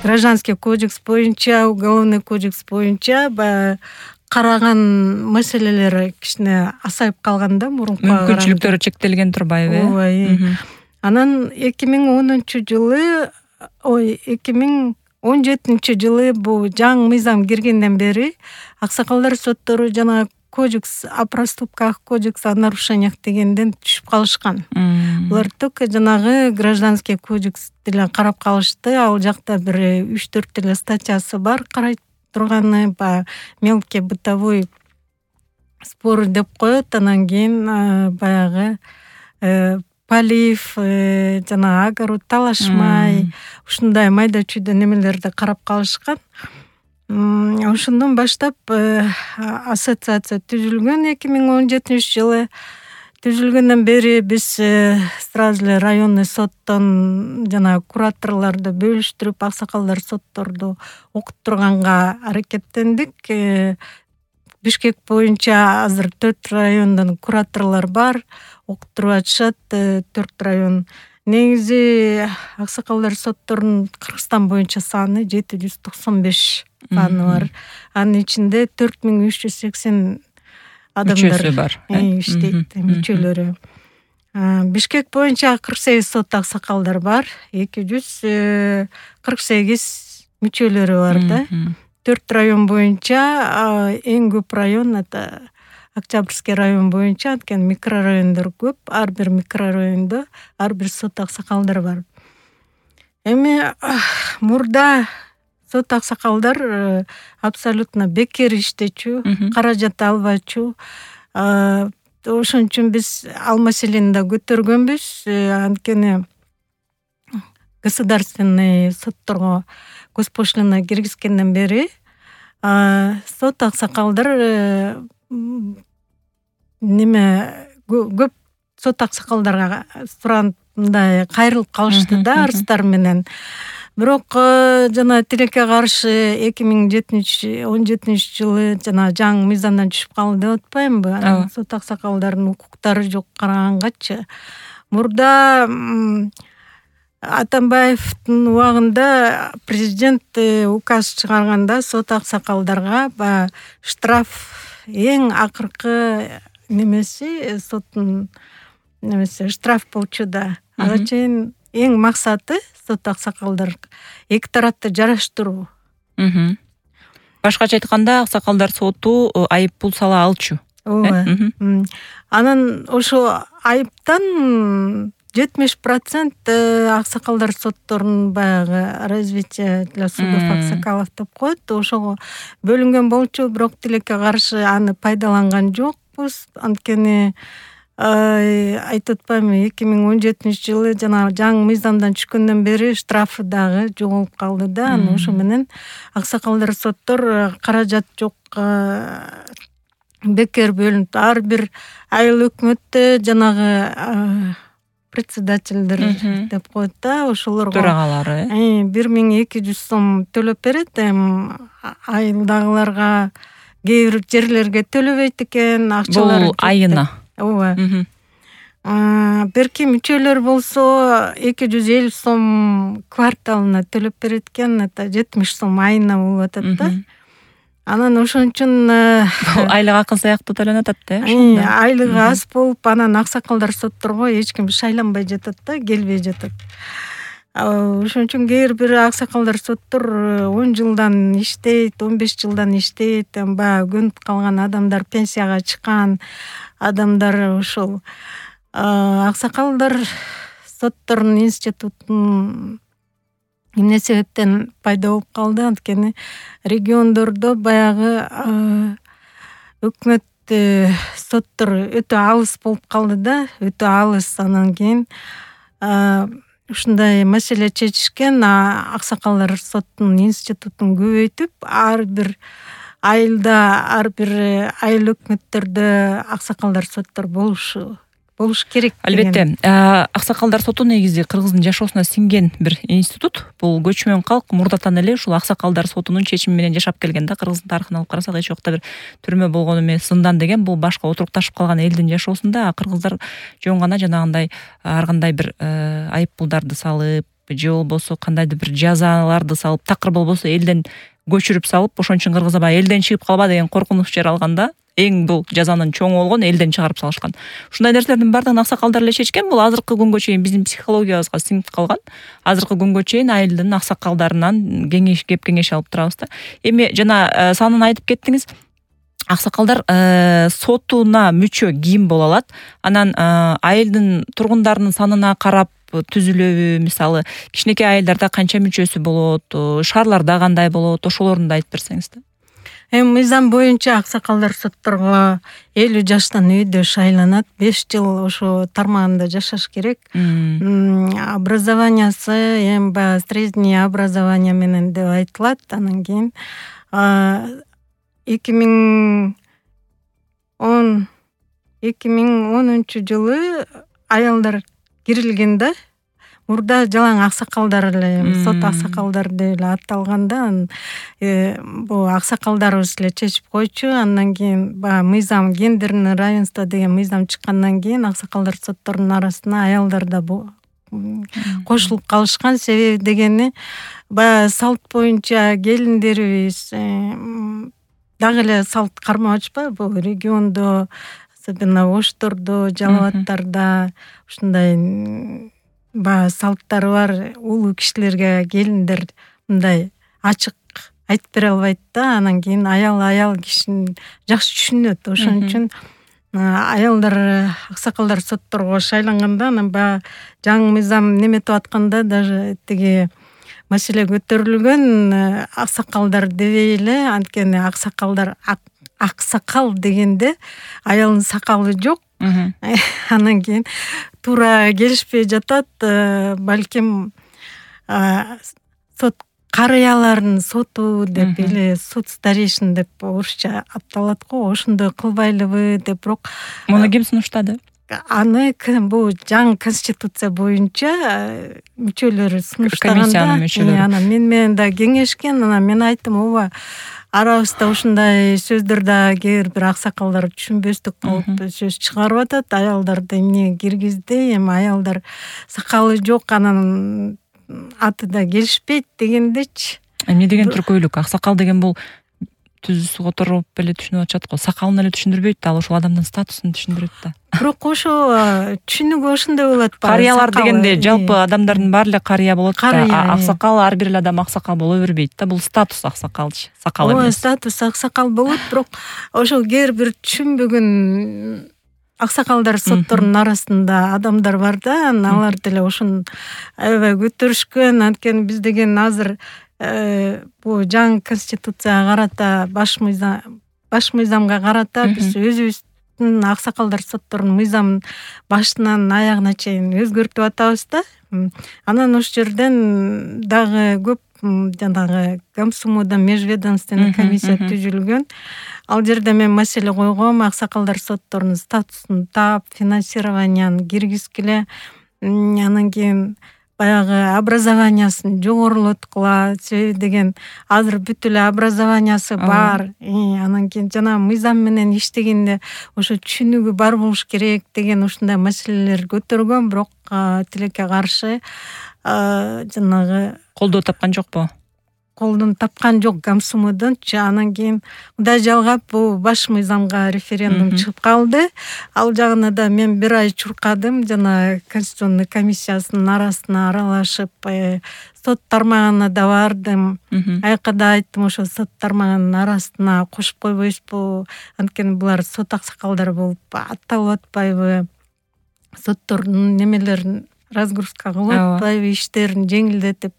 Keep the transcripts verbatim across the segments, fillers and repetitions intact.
гражданский кодекс боюнча, уголовный кодекс боюнча баягы караган маселелери кичине асайып калган да мурункуга караганда. Мүмкүнчүлүктөрү чектелген турбайбы? Ооба. Анан эки миң онунчу жылы, ой, эки миң он жетинчи жылы бул жаңы мыйзам киргенден бери аксакалдар соттору жана кодекс о проступках, кодекс о нарушениях дегенден түшүп калышкан. Булар только жанагы гражданский кодекс деле карап калышты. Ал жакта бир үч төрт эле статьясы бар карай турганы, баягы мелкий бытовой спор деп коет. Анан кийин баягы полив, жана огород талашмай, ушундай майда чүйдө немелерди карап калышкан. Ошондон баштап ассоциация түзүлгөн эки миң он жетинчи жылы. Түзүлгөндөн бери биз сразу эле районный соттон жана кураторлорду бөлүштүрүп, аксакалдар сотторду окуттурганга аракеттендик. Бишкек боюнча азыр төрт райондон кураторлор бар, окуттуруп атышат. төрт район. Негизи аксакалдар сотторунун Кыргызстан боюнча саны жети жүз токсон беш саны бар. Анын ичинде төрт миң үч жүз сексен адамдар бар. Иштейт, мүчөлөрү. Бишкек боюнча кырк сегиз сот аксакалдар бар, эки жүз кырк сегиз мүчөлөрү бар да. төрт район боюнча эң көп район это Октябрьский район боюнча, анткени микрорайондор көп. Ар бир микрорайондо ар бир сот аксакалдар бар. Эми мурда сот аксакалдар абсолютно бекер иштечү, каражат албачу. Ошон үчүн биз ал маселени да көтөргөнбүз. Анткени государственный сотторго госпошлина киргизгенден бери сот аксакалдар неме көп сот аксакалдарга сурагандай кайрылып калышты да арыздар менен. Бирок жана тилекке каршы эки миң он жетинчи жылы жана жаңы мыйзамдан түшүп калды деп атпаймынбы? Сот аксакалдардын укуктары жок карагангачы. Мурда Атамбаевдин убагында президент указ чыгарганда сот аксакалдарга баягы штраф эң акыркы немеси, соттун немеси штраф болчу да. Ага чейин эң максаты сот аксакалдар эки тарапты жараштыруу. Башкача айтканда, аксакалдар соту айып пул сала алчу. Ооба. Анан ошо айыптан жетимиш процент аксакалдар сотторунун баягы развитие для судов аксакалов деп коет. Ошого бөлүнгөн болчу, бирок тилекке каршы аны пайдаланган жокпуз. Анткени айтып атпаймынбы, эки миң он жетинчи жылы жана жаңы мыйзамдан түшкөндөн бери штрафы дагы жоголуп калды да. Аны ошо менен аксакалдар соттор каражат жок бекер бөлүнүп, ар бир айыл өкмөттө жанагы председательдер деп коет да, ошолорго төрагалары бир миң эки жүз сом төлөп берет. Эми айылдагыларга кээ бир жерлерге төлөбөйт экен, акчалары. Бул айына. Ооба. Берки мүчөлөр болсо эки жүз элүү сом кварталына төлөп берет экен, это жетимиш сом айына болуп атат да. Анан ошон үчүн айлык акын сыяктуу төлөнөт атты. Айлыгы аз болуп, анан аксакалдар сотторго эч ким шайланбай жатат да, келбей жатат. Ошон үчүн кээ бир аксакалдар соттор он жылдан иштейт, он беш жылдан иштейт. Баягы көнүп калган адамдар, пенсияга чыккан адамдар ошол аксакалдар сотторунун институтун эмне себептен пайда болуп калды? Анткени региондордо баягы өкмөт соттор өтө алыс болуп калды да, өтө алыс. Анан кийин ушундай маселе чечишкен, аксакалдар соттун институтун көбөйтүп, ар бир айылда, ар бир айыл өкмөттөрдө аксакалдар соттор болушу болуш керек. Албетте, аксакалдар соту негизи кыргыздын жашоосуна сиңген бир институт. Бул көчмөн калк мурдатан эле ушул аксакалдар сотунун чечими менен жашап келген да. Кыргыздын тарыхын алып карасак, эч убакта бир түрмө болгон эмес, зындан деген бул башка отурукташып калган элдин жашоосунда. Кыргыздар жөн гана жанагындай ар кандай бир айып пулдарды салып, же болбосо кандайдыр бир жазаларды салып, такыр болбосо элден көчүрүп салып, ошон үчүн кыргыз аба элден чыгып калба деген коркунуч жер алганда эң бул жазанын чоңу болгон элден чыгарып салышкан. Ушундай нерселердин баардыгын аксакалдар эле чечкен. Бул азыркы күнгө чейин биздин психологиябызга сиңип калган. Азыркы күнгө чейин айылдын аксакалдарынан кеңеш кеп кеңеш алып турабыз да. Эми жана санын айтып кеттиңиз. Аксакалдар сотуна мүчө ким боло алат? Анан айылдын тургундарынын санына карап түзүлөбү? Мисалы, кичинекей айылдарда канча мүчөсү болот, шаарларда кандай болот? Ошолорун да айтып берсеңиз да. Эми мыйзам боюнча аксакалдар сотторго элүү жаштан үйдө шайланат, беш жыл ошо тармагында жашаш керек. Образованиясы эми баягы средний образование менен деп айтылат. Анан кийин эки миң онунчу жылы аялдар кирилген да. Мурда жалаң аксакалдар эле, сот аксакалдар деп эле аталганда, бул аксакалдарыбыз эле чечип койчу. Андан кийин баягы мыйзам, гендерный равенство деген мыйзам чыккандан кийин аксакалдар сотторунун арасына аялдар да кошулуп калышкан. Себеби дегени баягы салт боюнча келиндерибиз дагы эле салт кармап атышпайбы? Бул региондо, особенно Оштордо, Жалал Абадтарда ушундай баягы салттары бар. Улуу кишилерге келиндер мындай ачык айтып бере албайт да. Анан кийин аял аял кишини жакшы түшүнөт. Ошон үчүн аялдар аксакалдар сотторго шайланганда, анан баягы жаңы мыйзам неметип атканда даже тиги маселе көтөрүлгөн. Аксакалдар дебей эле, анткени аксакалдар аксакал дегенде аялдын сакалы жок. Анан кийин туура келишпей жатат. Балким сот карыялардын соту деп эле, суд старейшин деп орусча аталат го. Ошондой кылбайлыбы деп. Бирок муну ким сунуштады? Аны бул жаңы конституция боюнча мүчөлөрү сунуштаганда, анан мен менен да кеңешкен. Анан мен айттым, ооба, арабызда ушундай сөздөр да кээ бир аксакалдар түшүнбөстүк болуп сөз чыгарып атат. Аялдарды эмне киргизди, эми аялдар сакалы жок, анан аты да келишпейт дегендечи. Эмне деген түркөйлүк? Аксакал деген бул түз которуп эле түшүнүп атышат го. Сакалын эле түшүндүрбөйт да, ал ошол адамдын статусун түшүндүрөт да. Бирок ошо түшүнүгү ошондой болот. Карыялар дегенде жалпы адамдардын баары эле карыя болот да. Аксакал, ар бир эле адам аксакал боло бербейт да. Бул статус аксакалчы, сакал эмес. Ооба, статус аксакал болот, бирок ошол кээ бир түшүнбөгөн аксакалдар сотторунун арасында адамдар бар да. Алар деле ошону аябай көтөрүшкөн. Анткени биз деген азыр бул жаңы конституцияга карата, баш мыйзам баш мыйзамга карата биз өзүбүздүн аксакалдар сотторунун мыйзамын башынан аягына чейин өзгөртүп атабыз да. Анан ошол жерден дагы көп жанагы Гомсумуда межведомственный комиссия түзүлгөн. Ал жерде мен маселе койгом, аксакалдар сотторунун статусун таап, финансированияны киргизгиле. Анан кийин баягы образованиясын жогорулоткула. Себеби деген азыр бүт эле образованиясы бар. Анан кийин жана мыйзам менен иштегенде ошо түшүнүгү бар болуш керек деген ушундай маселелер көтөргөн. Бирок тилекке каршы жанагы колдоо тапкан жокпу? Колдон тапкан жок Гомсумудунчу. Анан кийин мындай жалгап бул баш мыйзамга референдум чыгып калды. Ал жагына да мен бир ай чуркадым. Жана конституционный комиссиясынын арасына аралашып, сот тармагына да бардым. Айка да айттым, ошо сот тармагынын арасына кошуп койбойсузбу? Анткени булар сот аксакалдары болуп атталып атпайбы? Соттордун немелерин разгрузка кылып атпайбы, иштерин жеңилдетип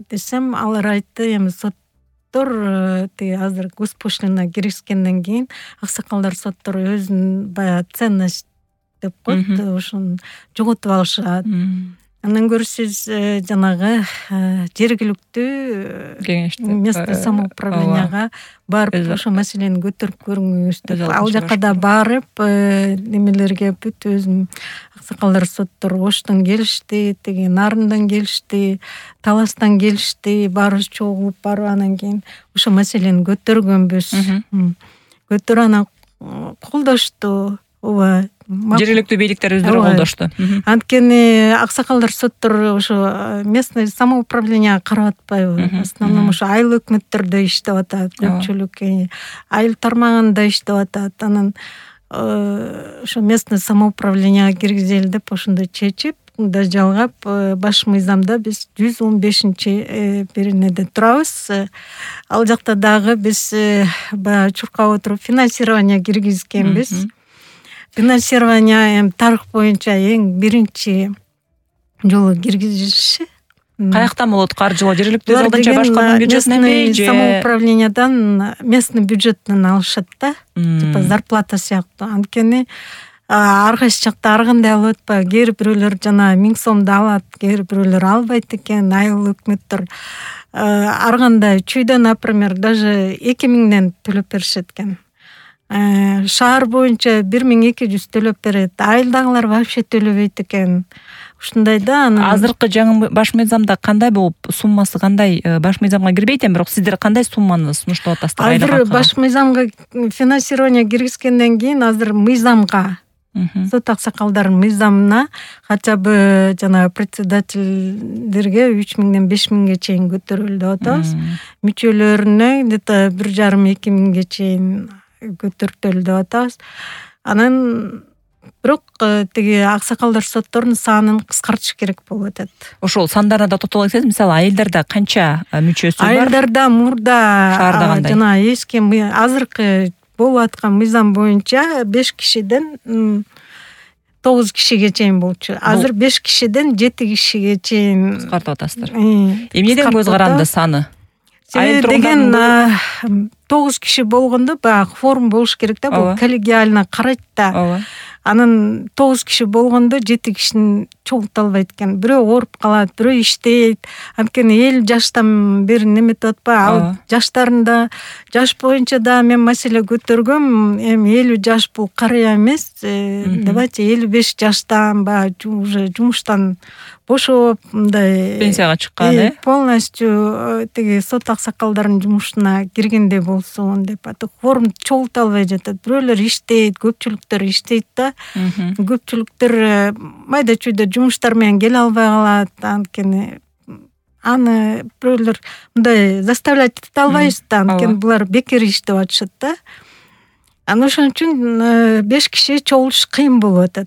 десем, алар айтты, эми соттор тиги азыр госпошлина киргизгенден кийин аксакалдар соттору өзүнүн баягы ценность деп коет, ошону жоготуп алышат. Андан көрө сиз жанагы жергиликтүү кеңеште, место самоуправленияга барып ошо маселени көтөрүп көрүңүз деп. Ал жака да барып немелерге бүт өзүм аксакалдар соттору Оштон келишти, тиги Нарындан келишти, Таластан келишти, баарыбыз чогулуп барып анан кийин ошо маселени көтөргөнбүз. Көтөрүп анан колдошту. Ооба, жергиликтүү бийликтер өздөрү колдошту. Анткени аксакалдар соттор ошо местный самоуправление карап атпайбы? В основном ошо айыл өкмөттөрдө иштеп атат көпчүлүк, айыл тармагында иштеп атат. Анан ошо местный самоуправление киргизели деп ошондой чечип да жалгап, баш мыйзамда биз жүз он бешинчи бир неде турабыз. Ал жакта дагы биз баягы чуркап отуруп финансирование киргизгенбиз. Финансирование эми тарых боюнча эң биринчи жолу киргизиши. Каяктан болот каржылоо? Жергиликтүү алдынча башкардын бюджетиненби же самоуправлениядан, местный бюджеттен алышат да, типа зарплата сыяктуу. Анткени ар кайсы жакта ар кандай алып атпайбы. Кээ бирөөлөр жана миң сомду алат, кээ бирөөлөр албайт экен. Айыл өкмөттөр ар кандай чүйдө, например, даже эки миңден төлөп беришет экен. Шаар боюнча бир миң эки жүз төлөп берет. Айылдагылар вообще төлөбөйт экен. Ушундай да. Азыркы жаңы баш мыйзамда кандай болуп, суммасы кандай? Баш мыйзамга кирбейт эми, бирок сиздер кандай сумманы сунуштап атасыздар? Азыр баш мыйзамга финансирование киргизгенден кийин азыр мыйзамга, сот аксакалдардын мыйзамына хотя бы жана председательдерге үч миңден беш миңге чейин көтөрүлдү деп атабыз. Мүчөлөрүнө где-то бир жарым эки миңге чейин көтөртөлдү деп атабыз. Анан бирок тиги аксакалдар сотторунун санын кыскартыш керек болуп атат. Ошол сандарына да токтоло кетсеңиз, мисалы айылдарда канча мүчөсү бар? Айылдарда мурда жана эски азыркы болуп аткан мыйзам боюнча беш кишиден тогуз кишиге чейин болчу. Азыр беш кишиден жети кишиге чейин кыскартып атасыздар. Эмнеден көз каранды саны? Себеби деген тогуз киши болгондо баягы форум болуш керек да, бул коллегиально карайт да. Анан тогуз киши болгондо жети кишини чогулта албайт экен. Бирөө ооруп калат, бирөө иштейт. Анткени элүү жаштан бери неметип атпайбы? Ал жаштарында, жаш боюнча да мен маселе көтөргөм. Эми элүү жаш бул карыя эмес. Давайте элүү беш жаштан баягы уже жумуштан бошоп, мындай пенсияга чыккан, э? Полностью тиги сот аксакалдардын жумушуна киргендей болсун деп атып, форум чогулта албай жатат. Бирөөлөр иштейт, көпчүлүктөр иштейт да. Көпчүлүктөр майда чүйдө жумуштар менен келе албай калат. Анткени аны бирөөлөр мындай заставлять эте албайбыз да. Анткени булар бекер иштеп атышат да. Анан ошон үчүн беш киши чогулуш кыйын болуп атат.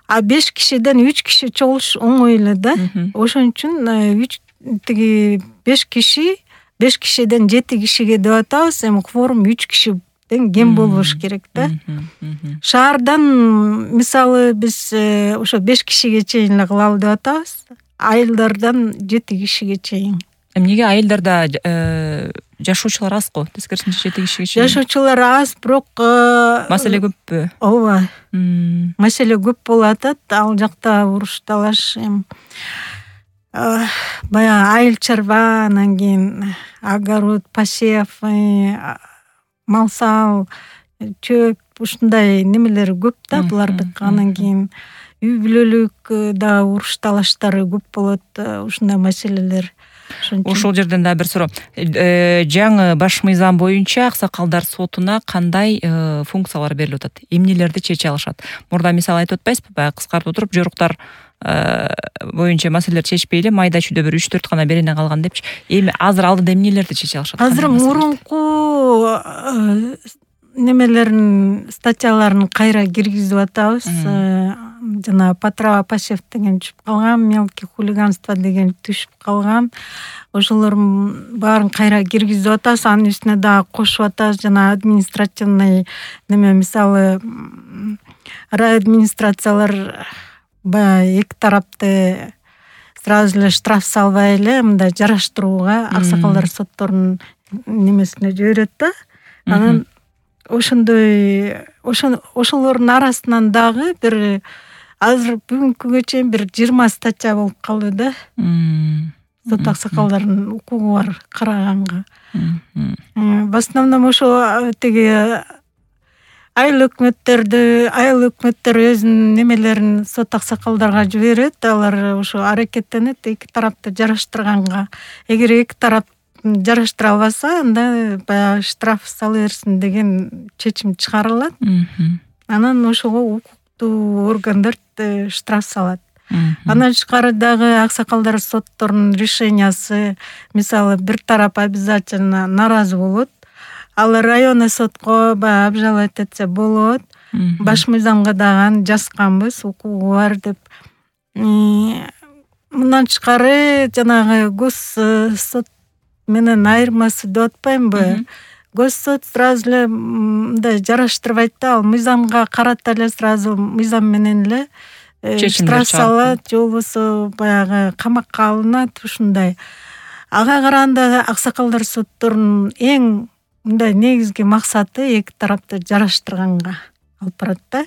А беш кишиден үч киши чогулуш оңой эле да. Ошон үчүн үч тиги беш киши, беш кишиден жети кишиге деп атабыз. Эми форум үч кишиден кем болбош керек да. Шаардан мисалы биз ошо беш кишиге чейин эле кылалы деп атабыз. Айылдардан жети кишиге чейин. Эмнеге айылдарда жашоочулар аз го? Тескерисинче жети кишиге чейин. Жашоочулар аз, бирок маселе көппү? Ооба. Маселе көп болуп атат. Ал жакта уруш талаш, эми баягы айыл чарба, анан кийин огород, посев, мал сал, чөп, ушундай немелер көп да булардык. Анан кийин үй бүлөлүк да уруш талаштары көп болот, ушундай маселелер. Ошол жерден да бир суроо. Жаңы баш мыйзам боюнча аксакалдар сотуна кандай функциялар берилип атат? Эмнелерди чече алышат? Мурда мисалы айтып атпайсызбы? Баягы кыскартып отуруп, жоруктар боюнча маселелер чечпей эле майда чүйдө бир үч төрт гана берене калган депчи. Эми азыр алдыда эмнелерди чече алышат? Азыр мурунку немелерин, статьяларын кайра киргизип атабыз. Жана Патрава Пасев деген түшүп калган, мелкий хулиганство деген түшүп калган. Ошолордун баарын кайра киргизип атабыз. Анын үстүнө дагы кошуп атабыз. Жана административный неме, мисалы райадминистрациялар баягы эки тарапты сразу эле штраф салбай эле мындай жараштырууга аксакалдар сотторунун немесине жиберет да. Анан ошондой ошолордун арасынан дагы бир азыр бүгүнкүгө чейин бир жыйырма статья болуп калды да. Сот аксакалдардын укугу бар караганга. В основном ошо тиги айыл өкмөттөрдү, айыл өкмөттөр өзүнүн немелерин сот аксакалдарга жиберет. Алар ошо аракеттенет эки тарапты жараштырганга. Эгер эки тарап жараштыра албаса, анда баягы штраф сала берсин деген чечим чыгарылат. Анан ошого укук укуктуу органдар штраф салат. Андан тышкары дагы аксакалдар сотторунун решениясы, мисалы бир тарап обязательно нааразы болот, ал районный сотко баягы обжаловать этсе болот. Баш мыйзамга дагы аны жазганбыз, укугу бар деп. Мындан тышкары жанагы гос сот менен айырмасы деп атпаймынбы? Гос сот сразу эле мындай жараштырбайт да, ал мыйзамга карата эле сразу мыйзам менен эле штраф салат, же болбосо баягы камакка алынат, ушундай. Ага караганда аксакалдар сотторунун эң мындай негизги максаты эки тарапты жараштырганга алып барат да.